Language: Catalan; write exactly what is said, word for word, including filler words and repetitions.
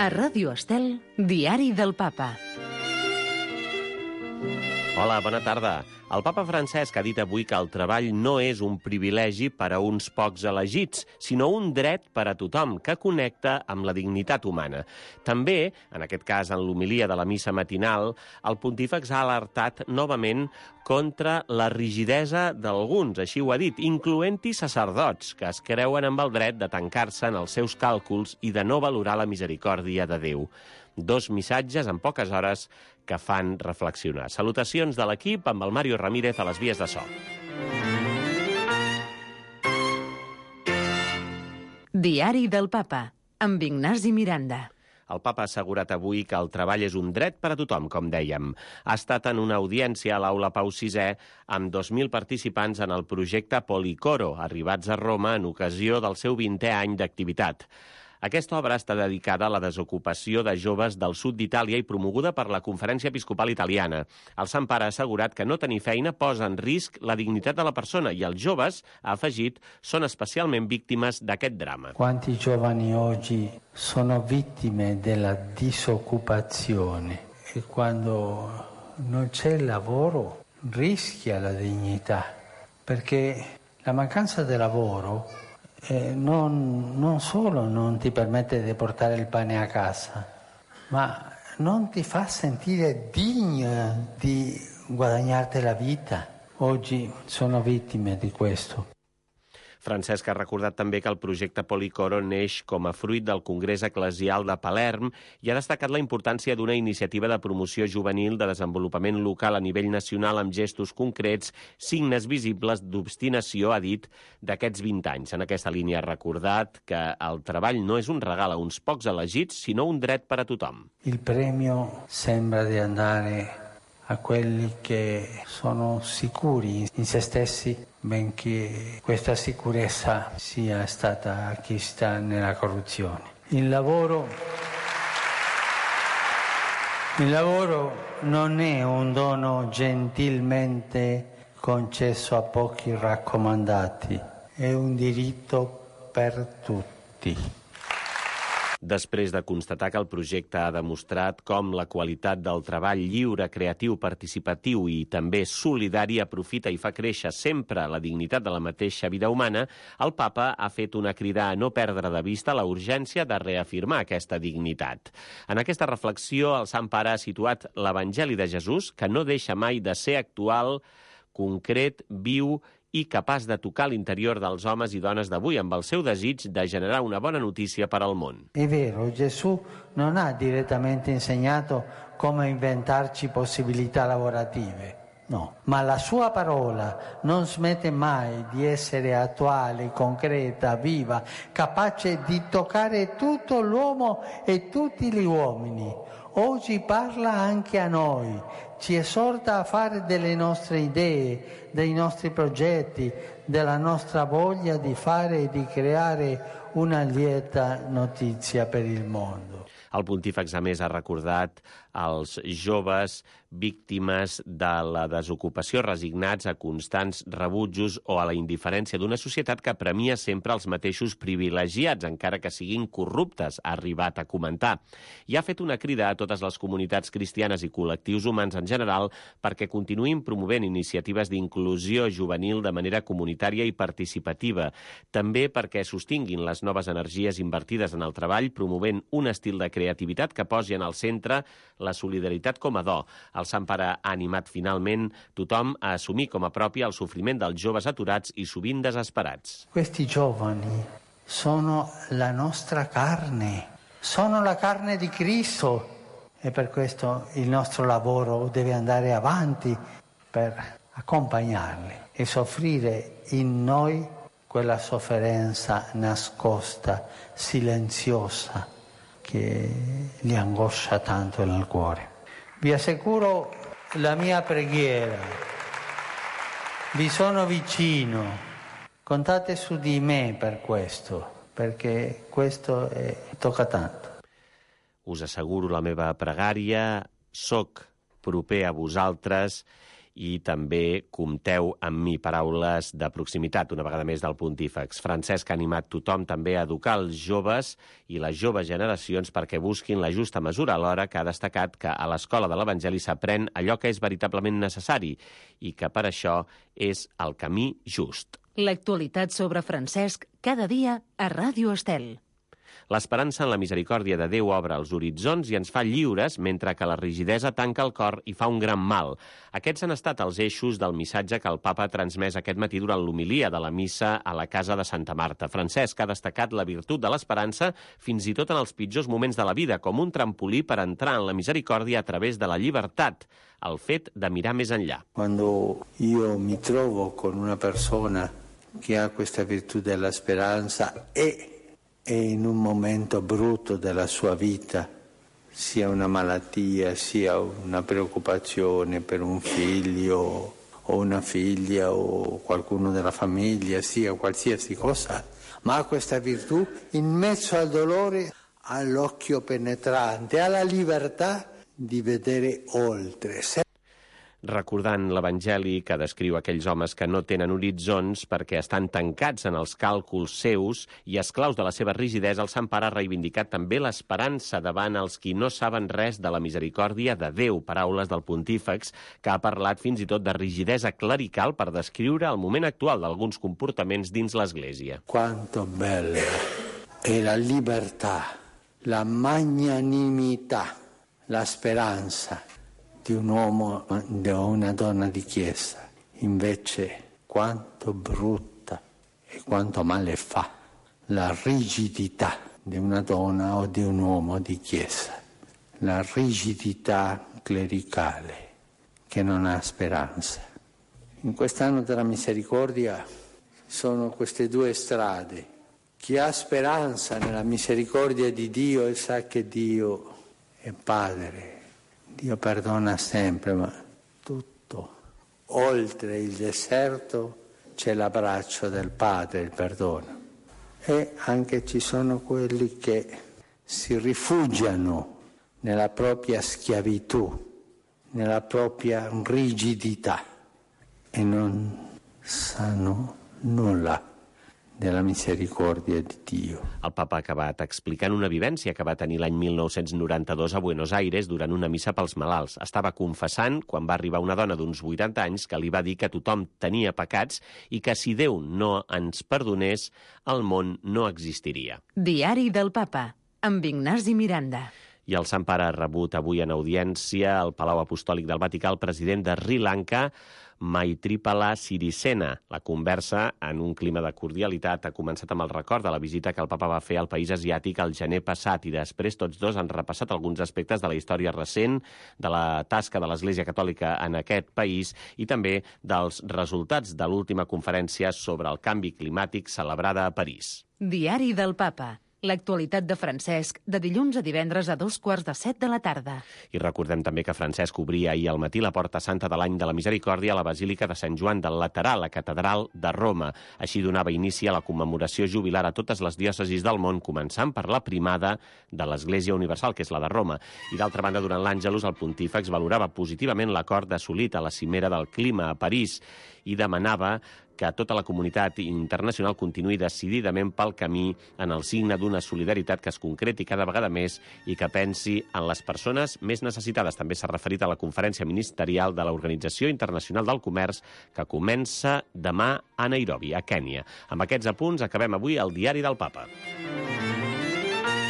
A Ràdio Estel, Diari del Papa. Hola, bona tarda. El papa Francesc ha dit avui que el treball no és un privilegi per a uns pocs elegits, sinó un dret per a tothom que connecta amb la dignitat humana. També, en aquest cas en l'homilia de la missa matinal, el pontífex ha alertat novament contra la rigidesa d'alguns, així ho ha dit, incloent-hi sacerdots, que es creuen amb el dret de tancar-se en els seus càlculs i de no valorar la misericòrdia de Déu. Dos missatges en poques hores que fan reflexionar. Salutacions de l'equip amb el Mario Ramírez a les vies de so. Diari del Papa, amb Ignasi Miranda. El papa ha assegurat avui que el treball és un dret per a tothom, com dèiem. Ha estat en una audiència a l'Aula Pau sisè amb dos mil participants en el projecte Policoro, arribats a Roma en ocasió del seu vintè any d'activitat. Aquesta obra està dedicada a la desocupació de joves del sud d'Itàlia i promoguda per la Conferència Episcopal Italiana. El Sant Pare ha assegurat que no tenir feina posa en risc la dignitat de la persona i els joves, ha afegit, són especialment víctimes d'aquest drama. Quanti giovani oggi sono vittime della disoccupazione e quando non c'è il lavoro rischia la dignità, perché la mancanza di lavoro Eh, non, non solo non ti permette di portare il pane a casa, ma non ti fa sentire degno di guadagnarti la vita. Oggi sono vittime di questo. Francesc ha recordat també que el projecte Policoro neix com a fruit del Congrés Eclesial de Palerm i ha destacat la importància d'una iniciativa de promoció juvenil de desenvolupament local a nivell nacional amb gestos concrets, signes visibles d'obstinació, ha dit, d'aquests vint anys. En aquesta línia ha recordat que el treball no és un regal a uns pocs elegits, sinó un dret per a tothom. Il premio sembra di andare a quelli che sono sicuri in se stessi, benché questa sicurezza sia stata acquistata nella corruzione. Il lavoro, il lavoro non è un dono gentilmente concesso a pochi raccomandati, è un diritto per tutti. Després de constatar que el projecte ha demostrat com la qualitat del treball lliure, creatiu, participatiu i també solidari aprofita i fa créixer sempre la dignitat de la mateixa vida humana, el papa ha fet una crida a no perdre de vista la urgència de reafirmar aquesta dignitat. En aquesta reflexió, el Sant Pare ha situat l'Evangeli de Jesús, que no deixa mai de ser actual, concret, viu i capaç de tocar l'interior dels homes i dones d'avui amb el seu desig de generar una bona notícia per al món. È vero, Gesù non ha direttamente insegnato come inventarci possibilità lavorative, no, ma la sua parola non smette mai di essere attuale, concreta, viva, capace di toccare tutto l'uomo e tutti gli uomini. Oggi parla anche a noi, ci esorta a fare delle nostre idee, dei nostri progetti, della nostra voglia di fare e di creare una lieta notizia per il mondo. El pontífex, a més, ha recordat als joves víctimes de la desocupació resignats a constants rebutjos o a la indiferència d'una societat que premia sempre els mateixos privilegiats, encara que siguin corruptes, ha arribat a comentar. I ha fet una crida a totes les comunitats cristianes i col·lectius humans en general perquè continuïn promovent iniciatives d'inclusió juvenil de manera comunitària i participativa. També perquè sostinguin les noves energies invertides en el treball, promovent un estil de creativitat que posi en el centre la solidaritat com a do. El Sant Pare ha animat finalment tothom a assumir com a propi el sofriment dels joves aturats i sovint desesperats. Questi giovani sono la nostra carne, sono la carne di Cristo e per questo il nostro lavoro deve andare avanti per accompagnarli e soffrire in noi quella sofferenza nascosta, silenziosa, che li angoscia tanto nel cuore. Vi assicuro la mia preghiera, vi sono vicino, contate su di me per questo, perché questo è, tocca tanto. Us asseguro la meva pregària, soc proper a vosaltres i també compteu amb mi, paraules de proximitat, una vegada més del Pontífex. Francesc ha animat tothom també a educar els joves i les joves generacions perquè busquin la justa mesura, alhora que ha destacat que a l'escola de l'Evangeli s'aprèn allò que és veritablement necessari i que per això és el camí just. L'actualitat sobre Francesc cada dia a Ràdio Estel. L'esperança en la misericòrdia de Déu obre els horitzons i ens fa lliures, mentre que la rigidesa tanca el cor i fa un gran mal. Aquests han estat els eixos del missatge que el papa ha transmès aquest matí durant l'homilia de la missa a la casa de Santa Marta. Francesc ha destacat la virtut de l'esperança fins i tot en els pitjors moments de la vida, com un trampolí per entrar en la misericòrdia a través de la llibertat, el fet de mirar més enllà. Quando io mi trovo con una persona che ha questa virtù della speranza e e in un momento brutto della sua vita, sia una malattia, sia una preoccupazione per un figlio o una figlia o qualcuno della famiglia, sia qualsiasi cosa, ma ha questa virtù, in mezzo al dolore, ha l'occhio penetrante, ha la libertà di vedere oltre. Recordant l'Evangeli que descriu aquells homes que no tenen horitzons perquè estan tancats en els càlculs seus i esclaus de la seva rigidesa, el Sant Pare ha reivindicat també l'esperança davant els qui no saben res de la misericòrdia de Déu, paraules del Pontífex, que ha parlat fins i tot de rigidesa clerical per descriure el moment actual d'alguns comportaments dins l'Església. Quanto bella è la libertà, la magnanimità, la speranza di un uomo o una donna di chiesa. Invece quanto brutta e quanto male fa la rigidità di una donna o di un uomo di chiesa, la rigidità clericale che non ha speranza. In quest'anno della misericordia sono queste due strade. Chi ha speranza nella misericordia di Dio e sa che Dio è Padre, Dio perdona sempre, ma tutto. Oltre il deserto c'è l'abbraccio del Padre, il perdono. E anche ci sono quelli che si rifugiano nella propria schiavitù, nella propria rigidità e non sanno nulla della misericòrdia di Dio. El papa ha acabat explicant una vivència que va tenir l'any mil nou-cents noranta-dos a Buenos Aires durant una missa pels malalts. Estava confessant quan va arribar una dona d'uns vuitanta anys que li va dir que tothom tenia pecats i que si Déu no ens perdonés, el món no existiria. Diari del Papa, amb Ignasi Miranda. I el Sant Pare ha rebut avui en audiència al Palau Apostòlic del Vaticà el president de Sri Lanka, Maithripala Sirisena. La conversa, en un clima de cordialitat, ha començat amb el record de la visita que el papa va fer al país asiàtic el gener passat i després tots dos han repassat alguns aspectes de la història recent, de la tasca de l'Església Catòlica en aquest país i també dels resultats de l'última conferència sobre el canvi climàtic celebrada a París. Diari del Papa. L'actualitat de Francesc, de dilluns a divendres a dos quarts de set de la tarda. I recordem també que Francesc obria ahir al matí la Porta Santa de l'Any de la Misericòrdia a la Basílica de Sant Joan del Laterà, la catedral de Roma. Així donava inici a la commemoració jubilar a totes les diòcesis del món, començant per la primada de l'Església Universal, que és la de Roma. I d'altra banda, durant l'Àngelus, el Pontífex valorava positivament l'acord assolit a la cimera del clima a París i demanava que tota la comunitat internacional continuï decididament pel camí en el signe d'una solidaritat que es concreti cada vegada més i que pensi en les persones més necessitades. També s'ha referit a la conferència ministerial de l'Organització Internacional del Comerç que comença demà a Nairobi, a Kènia. Amb aquests apunts acabem avui el Diari del Papa.